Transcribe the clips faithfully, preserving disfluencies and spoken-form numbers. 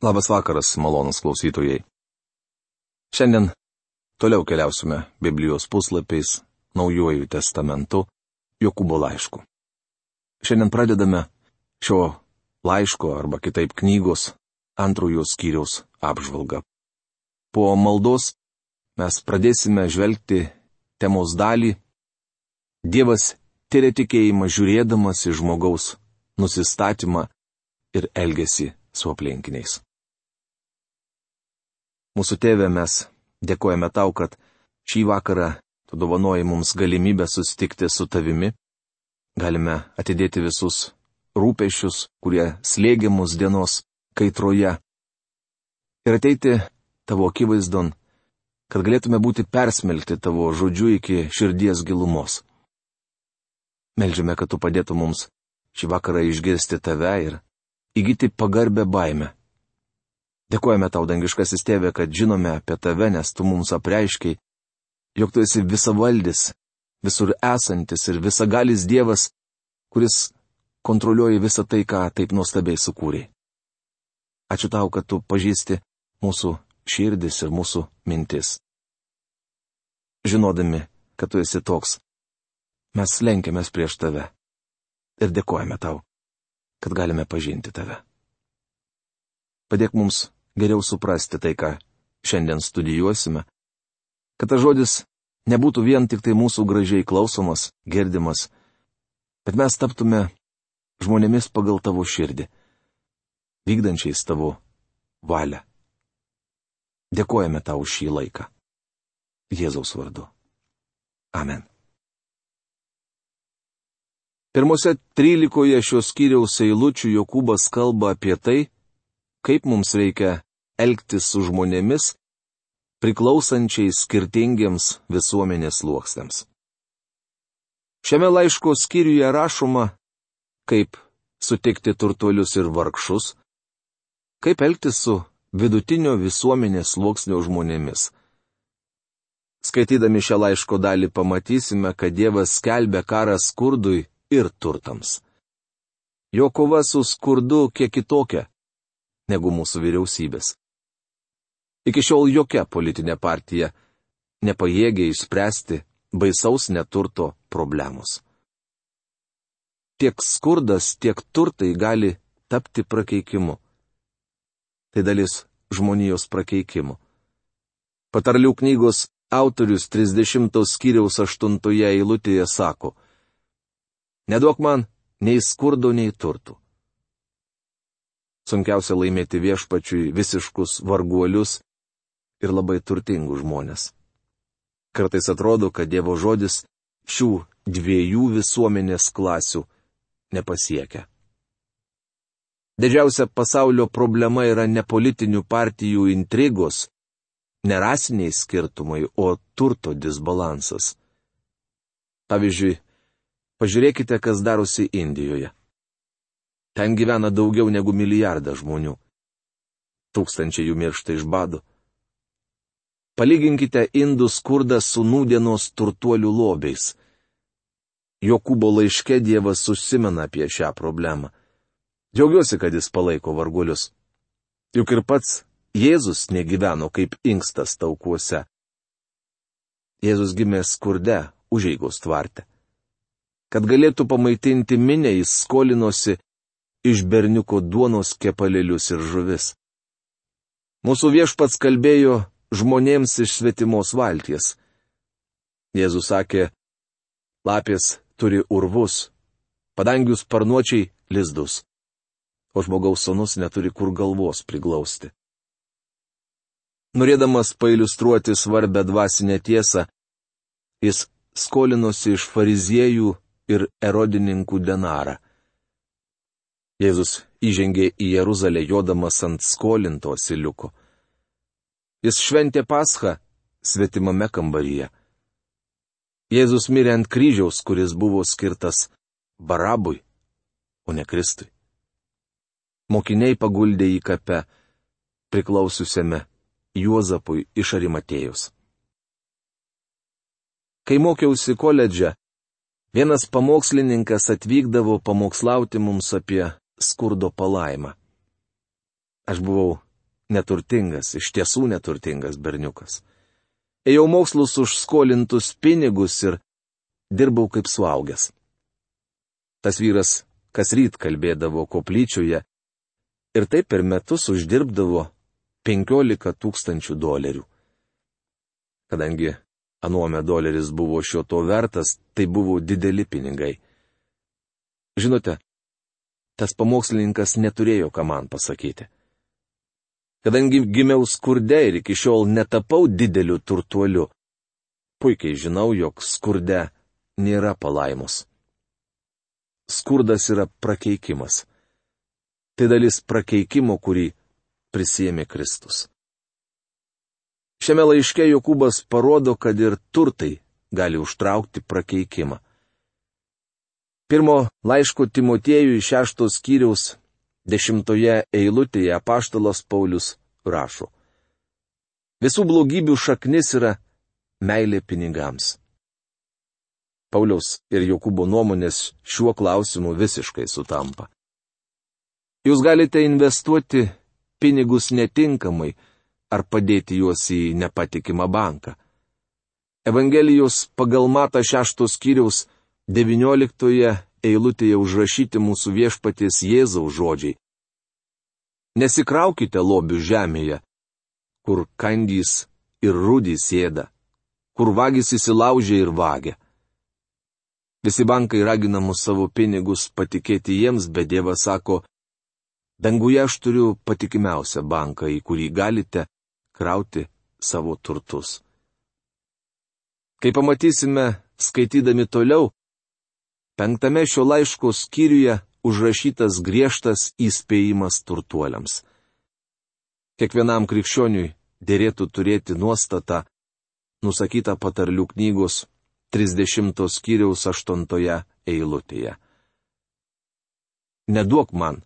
Labas vakaras, malonūs klausytojai. Šiandien toliau keliausime Biblijos puslapiais Naujuoju testamentu Jokūbo laišku. Šiandien pradedame šio laiško arba kitaip knygos antrojo skyriaus apžvalgą. Po maldos mes pradėsime žvelgti temos dalį Dievas tyria tikėjimą žiūrėdamas į žmogaus nusistatymą ir elgesį su aplinkiniais. Mūsų Tėve, mes dėkojame Tau, kad šį vakarą Tu dovanoji mums galimybę susitikti su Tavimi. Galime atidėti visus rūpesčius, kurie slėgia mus dienos kaitroje. Ir ateiti Tavo akivaizdon, kad galėtume būti persmelkti Tavo žodžiu iki širdies gilumos. Meldžiame, kad Tu padėtum mums šį vakarą išgirsti Tave ir įgyti pagarbę baimę. Dėkojame Tau, dangiškasis Tėve, kad žinome apie Tave, nes Tu mums apreiškiai, jog Tu esi visavaldis, visur esantis ir visagalis Dievas, kuris kontroliuoja visą tai, ką taip nuostabiai sukūrei. Ačiū Tau, kad Tu pažįsti mūsų širdis ir mūsų mintis. Žinodami, kad Tu esi toks, mes lenkiamės prieš Tave ir dėkojame Tau, kad galime pažinti Tave. Padėk mums geriau suprasti tai, ką šiandien studijuosime, kad tas žodis nebūtų vien tik tai mūsų gražiai klausomas, girdimas, bet mes taptume žmonėmis pagal Tavo širdį, vykdančiais Tavo valią. Dėkojame Tau už šį laiką. Jėzaus vardu. Amen. Pirmose trylikoje šios skyriaus eilučių Jokūbas kalba apie tai, kaip mums reikia elgtis su žmonėmis, priklausančiais skirtingiems visuomenės sluoksniams. Šiame laiško skyriuje rašoma, kaip sutikti turtuolius ir vargšus, kaip elgtis su vidutinio visuomenės sluoksnio žmonėmis. Skaitydami šią laiško dalį pamatysime, kad Dievas skelbia karą skurdui ir turtams. Jo kova su skurdu kiek kitokia negu mūsų vyriausybės. Iki šiol jokia politinė partija nepajėgė išspręsti baisaus neturto problemos. Tiek skurdas, tiek turtai gali tapti prakeikimu. Tai dalis žmonijos prakeikimo. Patarlių knygos autorius trisdešimtos skyriaus aštuntoje eilutėje sako: Neduok man nei skurdo, nei turtų. Sunkiausia laimėti viešpačiui visiškus varguolius ir labai turtingus žmonės. Kartais atrodo, kad Dievo žodis šių dviejų visuomenės klasių nepasiekia. Didžiausia pasaulio problema yra ne politinių partijų intrigos, ne rasiniai skirtumai, o turto disbalansas. Pavyzdžiui, pažiūrėkite, kas darosi Indijoje. Ten gyvena daugiau negu milijardą žmonių. Tūkstančiai jų miršta iš bado. Palyginkite indų skurdą su nūdienos turtuolių lobiais. Jokūbo laiške Dievas užsimena apie šią problemą. Džiaugiuosi, kad jis palaiko varguolius. Juk ir pats Jėzus negyveno kaip inkstas taukuose. Jėzus gimė skurde, užeigos tvarte. Kad galėtų pamaitinti minę, jis skolinosi iš berniuko duonos kepalėlius ir žuvis. Mūsų viešpats kalbėjo žmonėms iš svetimos valties. Jėzus sakė, lapės turi urvus, padangių sparnuočiai lizdus, o žmogaus sūnus neturi kur galvos priglausti. Norėdamas pailiustruoti svarbę dvasinę tiesą, jis skolinosi iš fariziejų ir erodininkų denarą. Jėzus įžengė į Jeruzalę jodamas ant skolinto asiliuko. Jis šventė Paschą svetimame kambaryje. Jėzus mirė ant kryžiaus, kuris buvo skirtas Barabui, o ne Kristui. Mokiniai paguldė į kape, priklausiusiame Juozapui iš Arimatėjos. Kai mokiausi koledže, vienas pamokslininkas atvykdavo pamokslauti mums apie skurdo palaimą. Aš buvau neturtingas, iš tiesų neturtingas berniukas. Ėjau mokslus už skolintus pinigus ir dirbau kaip suaugęs. Tas vyras kas ryt kalbėdavo koplyčioje ir taip per metus uždirbdavo penkiolika tūkstančių dolerių. Kadangi anuome doleris buvo šio to vertas, tai buvo dideli pinigai. Žinote, tas pamokslininkas neturėjo ką man pasakyti. Kadangi gimiau skurde ir iki šiol netapau dideliu turtuoliu, puikiai žinau, jog skurde nėra palaimos. Skurdas yra prakeikimas. Tai dalis prakeikimo, kurį prisiėmė Kristus. Šiame laiške Jokūbas parodo, kad ir turtai gali užtraukti prakeikimą. Pirmo laiško Timotiejui šeštos skyriaus dešimtoje eilutėje apaštalas Paulius rašo: Visų blogybių šaknis yra meilė pinigams. Pauliaus ir Jokūbo nuomonės šiuo klausimu visiškai sutampa. Jūs galite investuoti pinigus netinkamai ar padėti juos į nepatikimą banką. Evangelijos pagal Matą šeštos skyriaus devynioliktoje eilutėje užrašyti mūsų viešpaties Jėzaus žodžiai. Nesikraukite lobių žemėje, kur kandys ir rudys ėda, kur vagis įsilaužia ir vagia. Visi bankai ragina mus savo pinigus patikėti jiems, bet Dievas sako, danguje aš turiu patikimiausią banką, į kurį galite krauti savo turtus. Kai pamatysime, skaitydami toliau, penktame šio laiško skyriuje užrašytas griežtas įspėjimas turtuoliams. Kiekvienam krikščioniui dėrėtų turėti nuostatą, nusakytą patarlių knygos trisdešimtos skyriaus aštuntoje eilutėje. Neduok man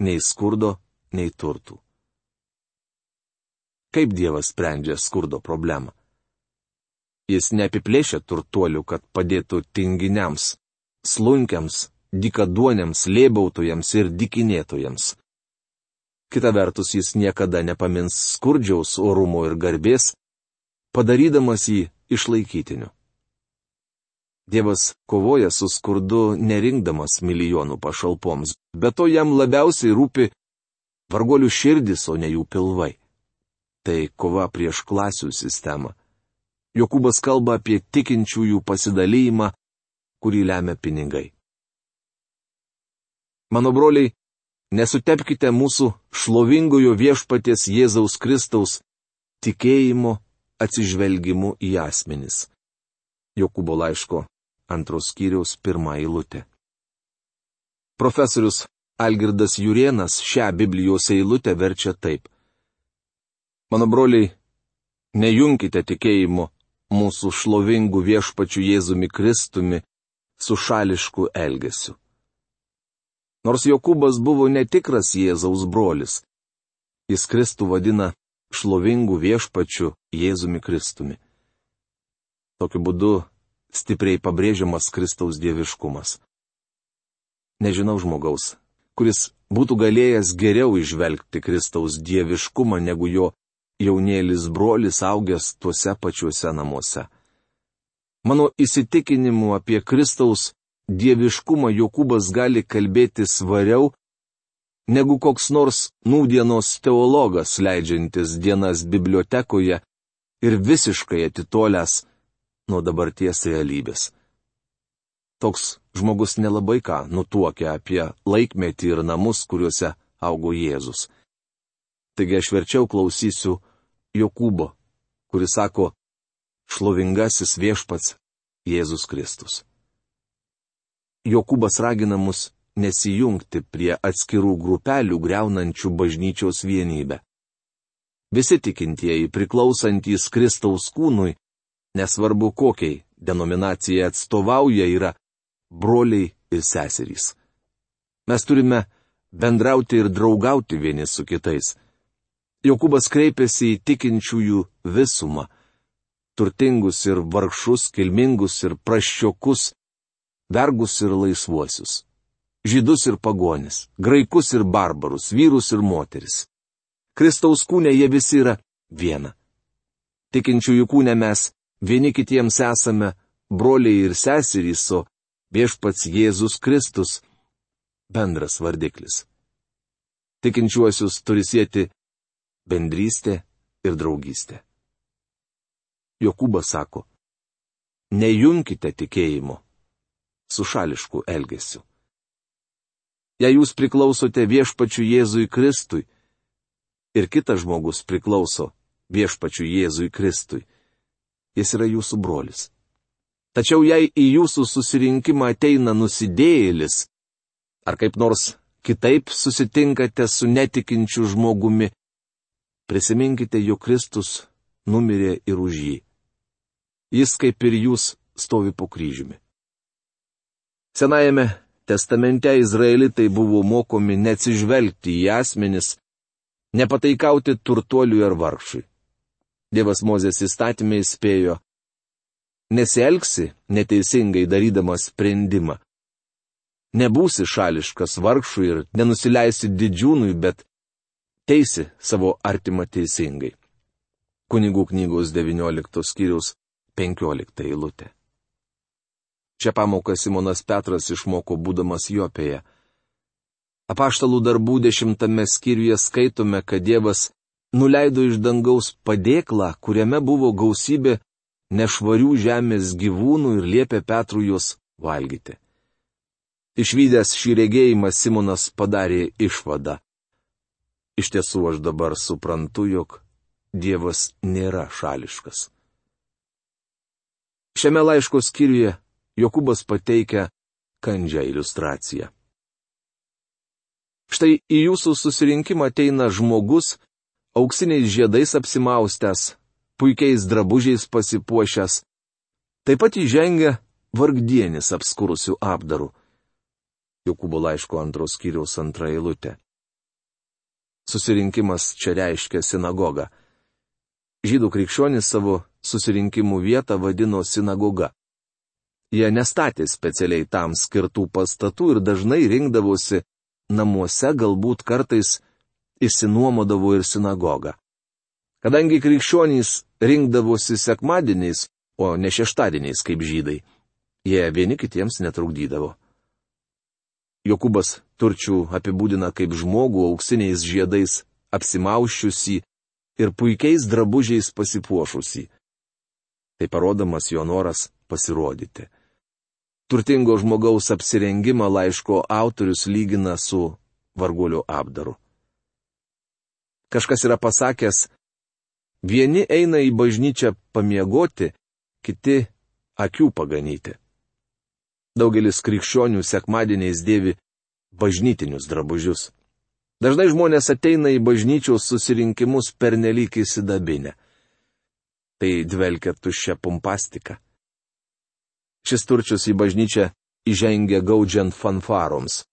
nei skurdo, nei turtų. Kaip Dievas sprendžia skurdo problemą? Jis neapiplėšia turtuolių, kad padėtų tinginiams, slunkiams, dykaduoniams, lėbautojams ir dykinėtojams. Kita vertus, jis niekada nepamins skurdžiaus orumo ir garbės, padarydamas jį išlaikytiniu. Dievas kovoja su skurdu nerinkdamas milijonų pašalpoms, bet to jam labiausiai rūpi vargolių širdis, o ne jų pilvai. Tai kova prieš klasių sistemą. Jokūbas kalba apie tikinčiųjų pasidalymą, kurį lemia pinigai. Mano broliai, nesutepkite mūsų šlovingojo viešpaties Jėzaus Kristaus tikėjimo atsižvelgimu į asmenis. Jokūbo laiško antros skyriaus pirmą eilutę. Profesorius Algirdas Jurėnas šią Biblijos eilutę verčia taip. Mano broliai, nejunkite tikėjimo mūsų šlovingų viešpačių Jėzumi Kristumi su šališku elgesiu. Nors Jokūbas buvo netikras Jėzaus brolis, jis Kristų vadina šlovingų viešpačių Jėzumi Kristumi. Tokiu būdu stipriai pabrėžiamas Kristaus dieviškumas. Nežinau žmogaus, kuris būtų galėjęs geriau įžvelgti Kristaus dieviškumą negu jo jaunėlis brolis augęs tuose pačiuose namuose. Mano įsitikinimu apie Kristaus dieviškumą Jokūbas gali kalbėti svariau, negu koks nors nūdienos teologas leidžiantis dienas bibliotekoje ir visiškai atitolęs nuo dabarties realybės. Toks žmogus nelabai ką nutuokia apie laikmetį ir namus, kuriuose augo Jėzus. Taigi aš verčiau klausysiu Jokūbo, kuris sako, šlovingasis viešpats Jėzus Kristus. Jokūbas ragina mus nesijungti prie atskirų grupelių greunančių bažnyčios vienybę. Visi tikintieji priklausantys Kristaus kūnui, nesvarbu kokiai denominacijai atstovauja, yra broliai ir seserys. Mes turime bendrauti ir draugauti vieni su kitais. Jokūbas kreipėsi į tikinčiųjų visumą - turtingus ir vargšus, kilmingus ir prasčiokus, vergus ir laisvuosius, žydus ir pagonis, graikus ir barbarus, vyrus ir moteris. Kristaus kūne jie visi yra viena. Tikinčiųjų kūne mes vieni kitiems esame broliai ir seserys, o viešpats Jėzus Kristus bendras vardiklis. Tikinčiuosius turi sieti bendrystė ir draugystė. Jokūbas sako, nejungkite tikėjimo su šališku elgesiu. Jei jūs priklausote viešpačiu Jėzui Kristui ir kitas žmogus priklauso viešpačiu Jėzui Kristui, jis yra jūsų brolis. Tačiau jei į jūsų susirinkimą ateina nusidėjėlis, ar kaip nors kitaip susitinkate su netikinčiu žmogumi, prisiminkite, jog Kristus numirė ir už jį. Jis kaip ir jūs stovi po kryžiumi. Senajame testamente izraelitai buvo mokomi neatsižvelgti į asmenis, nepataikauti turtuoliui ar vargšui. Dievas Mozės įstatymė įspėjo, nesielgsi neteisingai darydamas sprendimą. Nebūsi šališkas vargšui ir nenusileisi didžiūnui, bet teisi savo artimą teisingai. Kunigų knygos devynioliktos skyriaus penkiolikta eilutė. Šią pamoką Simonas Petras išmoko būdamas Jopėje. Apaštalų darbų dešimtame skyriuje skaitome, kad Dievas nuleido iš dangaus padėklą, kuriame buvo gausybė nešvarių žemės gyvūnų ir liepė Petrui juos valgyti. Išvydęs šį regėjimą Simonas padarė išvadą. Iš tiesų aš dabar suprantu, jog Dievas nėra šališkas. Šiame laiško skyriuje Jokūbas pateikia kandžią iliustraciją. Štai į jūsų susirinkimą ateina žmogus, auksiniais žiedais apsimaustęs, puikiais drabužiais pasipuošęs, taip pat įžengia vargdienis apskurusių apdarų. Jokūbo laiško antros skyriaus antra eilutė. Susirinkimas čia reiškia sinagogą. Žydų krikščionys savo susirinkimų vietą vadino sinagoga. Jie nestatė specialiai tam skirtų pastatų ir dažnai rinkdavosi namuose, galbūt kartais išsinuomodavo ir sinagogą. Kadangi krikščionys rinkdavosi sekmadieniais, o ne šeštadieniais kaip žydai, jie vieni kitiems netrukdydavo. Jokūbas turčių apibūdina kaip žmogų auksiniais žiedais apsimauščiusį ir puikiais drabužiais pasipuošusį. Tai parodamas jo noras pasirodyti. Turtingo žmogaus apsirengimą laiško autorius lygina su varguolio apdaru. Kažkas yra pasakęs, vieni eina į bažnyčią pamiegoti, kiti akių paganyti. Daugelis krikščionių sekmadieniais dėvi bažnytinius drabužius. Dažnai žmonės ateina į bažnyčios susirinkimus pernelyg įsidabinę. Tai dvelkia tuščia pompastika. Šis turčius į bažnyčią įžengia gaudžiant fanfaroms.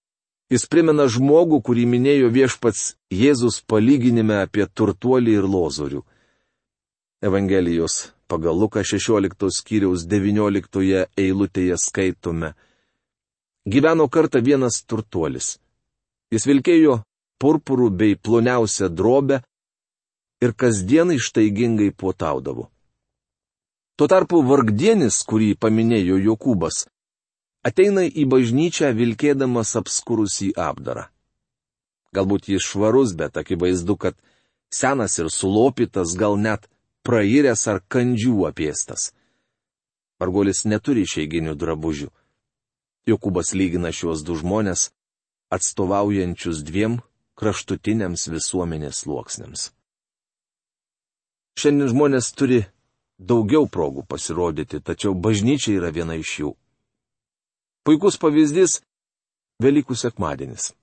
Jis primena žmogų, kurį minėjo viešpats Jėzus palyginime apie turtuolį ir lozorių. Evangelijos pagal Luką šešioliktos skyriaus devynioliktoje eilutėje skaitome. Gyveno kartą vienas turtuolis. Jis vilkėjo purpurų bei ploniausią drobę ir kasdien ištaigingai puotaudavo. Tuo tarpu vargdienis, kurį paminėjo Jokūbas, ateina į bažnyčią vilkėdamas apskurusį apdarą. Galbūt jis švarus, bet akivaizdu, kad senas ir sulopytas, gal net prairęs ar kandžių apėstas. Varguolis neturi išeiginių drabužių. Jokūbas lygina šiuos du žmonės, atstovaujančius dviem kraštutiniams visuomenės sluoksniams. Šiandien žmonės turi daugiau progų pasirodyti, tačiau bažnyčia yra viena iš jų. Puikus pavyzdys – Velykų sekmadienis.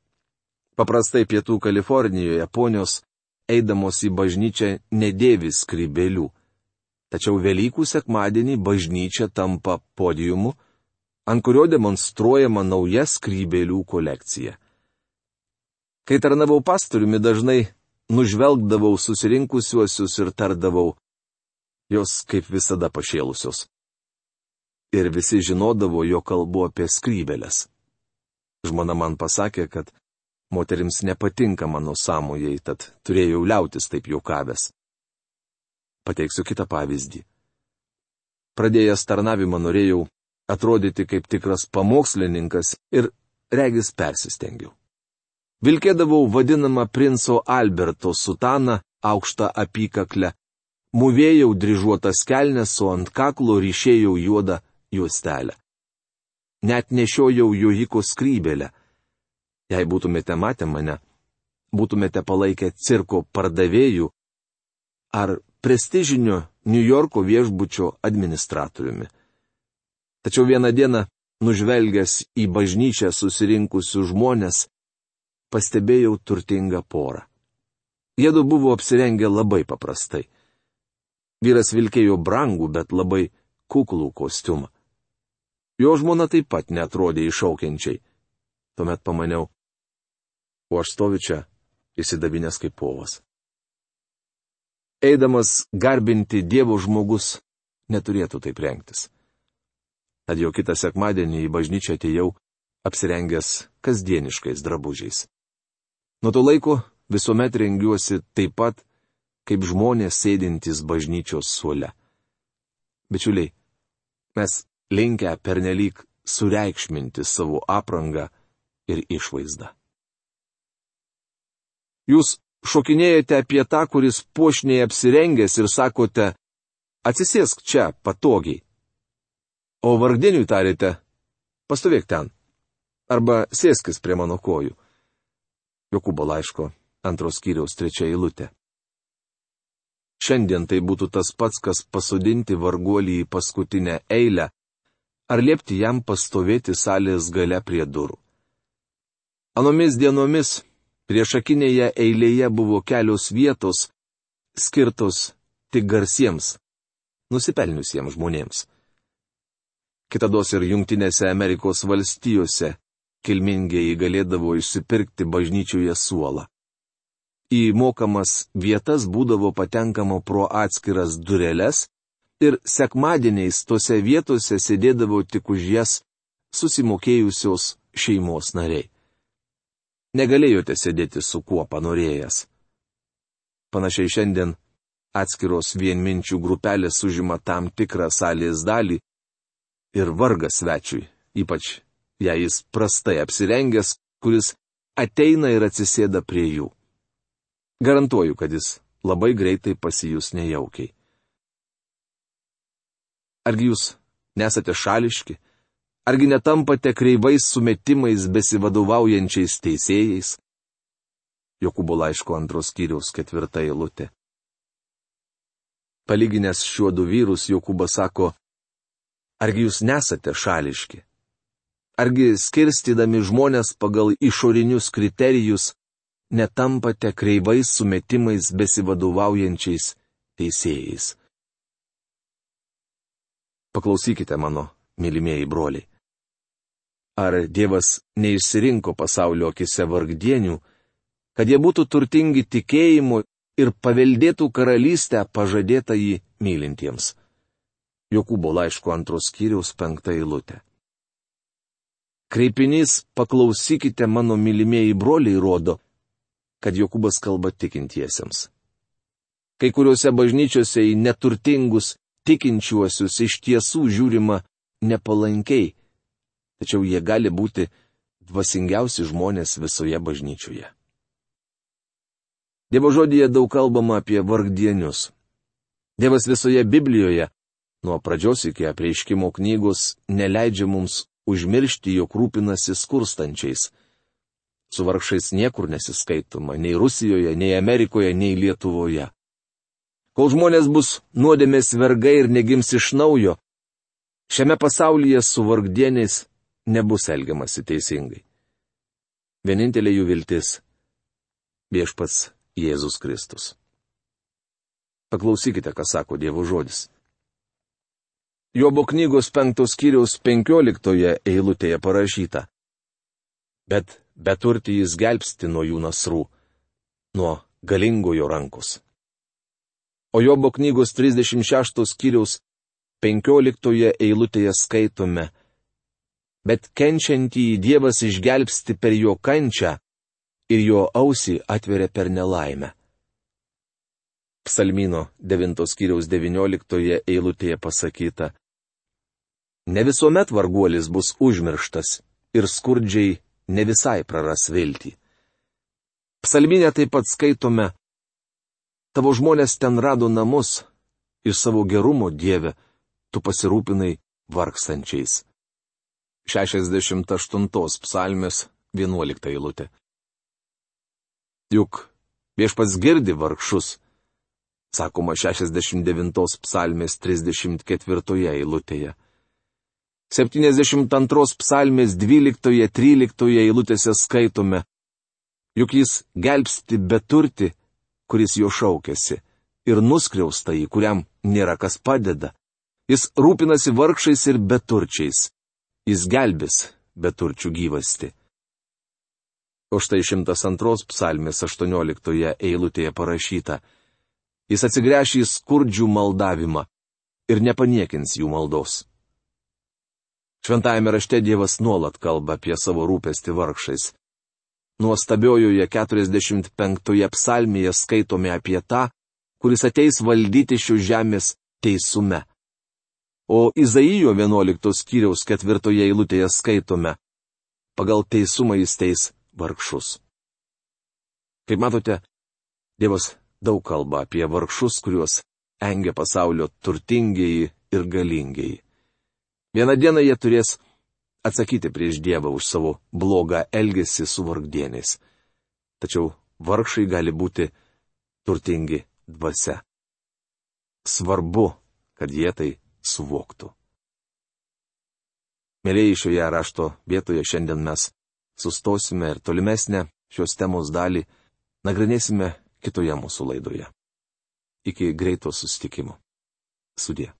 Paprastai Pietų Kalifornijoje ponios, eidamos į bažnyčią, nedėvi skrybėlių. Tačiau Velykų sekmadienį bažnyčia tampa podiumu, ant kurio demonstruojama nauja skrybėlių kolekcija. Kai tarnavau pastoriumi, dažnai nužvelgdavau susirinkusiuosius ir tardavau, jos kaip visada pašėlusios. Ir visi žinodavo, jo kalbu apie skrybėles. Žmona man pasakė, kad Moterims nepatinka mano sąmojai, tad turėjau liautis taip juokavęs. Pateiksiu kitą pavyzdį. Pradėjęs tarnavimą norėjau atrodyti kaip tikras pamokslininkas ir regis persistengiau. Vilkėdavau vadinamą princo Alberto sutaną aukštą apykaklę, mūvėjau dryžuotas kelnes, o ant kaklo ryšėjau juodą juostelę. Net nešiojau jojiko skrybėlę. Jei būtumėte matę mane, būtumėte palaikę cirko pardavėjų ar prestižinio Niujorko viešbučio administratoriumi. Tačiau vieną dieną, nužvelgęs į bažnyčią susirinkusių žmonės, pastebėjau turtingą porą. Jiedu buvo apsirengę labai paprastai. Vyras vilkėjo brangų, bet labai kuklų kostiumą. Jo žmona taip pat neatrodė iššaukiančiai. Tuomet pamaniau, o aš stoviu čia, įsidabinęs kaip povas. Eidamas garbinti Dievo žmogus neturėtų taip rengtis. Tad jau kitą sekmadienį į bažnyčią atėjau apsirengęs kasdieniškais drabužiais. Nuo to laiko visuomet rengiuosi taip pat, kaip žmonės sėdintys bažnyčios suole. Bičiuliai, mes linkę pernelyg sureikšminti savo aprangą ir išvaizdą. Jūs šokinėjate apie tą, kuris puošniai apsirengęs ir sakote, atsisėsk čia patogiai. O vargdieniui tarėte, pastovėk ten, arba sėskis prie mano kojų. Jokūbo laiško antros skyriaus trečia eilutė. Šiandien tai būtų tas pats, kas pasodinti varguolį į paskutinę eilę, ar liepti jam pastovėti salės gale prie durų. Anomis dienomis priešakinėje eilėje buvo kelios vietos, skirtos tik garsiems, nusipelniusiems žmonėms. Kitados ir Jungtinėse Amerikos valstijose kilmingieji galėdavo išsipirkti bažnyčioje suolą. Į mokamas vietas būdavo patenkama pro atskiras dureles ir sekmadieniais tose vietose sėdėdavo tik už jas susimokėjusios šeimos nariai. Negalėjote sėdėti su kuo panorėjęs. Panašiai šiandien atskiros vienminčių grupelės užima tam tikrą salės dalį ir vargas svečiui, ypač jei jis prastai apsirengęs, kuris ateina ir atsisėda prie jų. Garantuoju, kad jis labai greitai pasijus nejaukiai. Argi jūs nesate šališki? Argi netampate kreivais sumetimais besivadovaujančiais teisėjais? Jokūbo laiško antros skyriaus ketvirta eilutė. Palyginęs šiuo du vyrus, Jokūbas sako, argi jūs nesate šališki? Argi skirstydami žmonės pagal išorinius kriterijus netampate kreivais sumetimais besivadovaujančiais teisėjais? Paklausykite mano, mylimieji broliai. Ar Dievas neišsirinko pasaulio akise vargdienių, kad jie būtų turtingi tikėjimu ir paveldėtų karalystę pažadėtą jį mylintiems? Jokūbo laiško antros skyriaus penkta eilutė. Kreipinys paklausykite mano mylimieji broliai rodo, kad Jokūbas kalba tikintiesiems. Kai kuriuose bažnyčiose į neturtingus tikinčiuosius iš tiesų žiūrima nepalankiai, tačiau jie gali būti dvasingiausi žmonės visoje bažnyčioje. Dievo žodyje daug kalbama apie vargdienius. Dievas visoje Biblijoje, nuo pradžios iki Apreiškimo knygos, neleidžia mums užmiršti, jog rūpinasi skurstančiais. Su vargšais niekur nesiskaitoma, nei Rusijoje, nei Amerikoje, nei Lietuvoje. Kol žmonės bus nuodėmės vergai ir negims iš naujo, šiame pasaulyje su vargdieniais nebus elgiamasi teisingai. Vienintelė jų viltis - viešpats Jėzus Kristus. Paklausykite, ką sako Dievo žodis. Jobo knygos penktos skyriaus penkioliktoje eilutėje parašyta. Bet beturtį jis gelbsti nuo jų nasrų, nuo galingojo rankos. O Jobo knygos trisdešimt šeštos skyriaus penkioliktoje eilutėje skaitome. Bet kenčiantįjį Dievas išgelbsti per jo kančią, ir jo ausį atveria per nelaimę. Psalmino devintos skyriaus devynioliktoje eilutėje pasakyta: Ne visuomet varguolis bus užmirštas ir skurdžiai ne visai praras viltį. Psalminė taip pat skaitome: Tavo žmonės ten rado namus ir savo gerumo Dieve tu pasirūpinai vargstančiais. šešiasdešimt aštuntos psalmės vienuolikta eilutė. Juk Viešpats girdi vargšus, sakoma šešiasdešimt devintos psalmės trisdešimt ketvirtoje eilutėje. septyniasdešimt antros psalmės dvyliktoje tryliktoje eilutėse skaitome: Juk jis gelbsti beturti, kuris jo šaukėsi, ir nuskriaustąjį, kuriam nėra kas padeda. Jis rūpinasi vargšais ir beturčiais. Jis gelbės beturčių gyvasti. O štai šimtas antros psalmės aštuonioliktoje eilutėje parašyta: Jis atsigręš į skurdžių maldavimą ir nepaniekins jų maldos. Šventajame rašte Dievas nuolat kalba apie savo rūpestį vargšais. Nuostabiojoje keturiasdešimt penktoje psalmėje skaitome apie tą, kuris ateis valdyti šios žemės teisume. O Izaijo vienuoliktos skyriaus ketvirtoje eilutėje skaitome: Pagal teisumą jis teis vargšus. Kaip matote, Dievas daug kalba apie vargšus, kuriuos engia pasaulio turtingieji ir galingieji. Vieną dieną jie turės atsakyti prieš Dievą už savo blogą elgesį su vargdieniais. Tačiau vargšai gali būti turtingi dvasia. Svarbu, kad jie tai suvoktų. Mėlyjei, šioje rašto vietoje šiandien mes sustosime ir tolimesnę šios temos dalį nagrinėsime kitoje mūsų laidoje. Iki greito susitikimo. Sudie.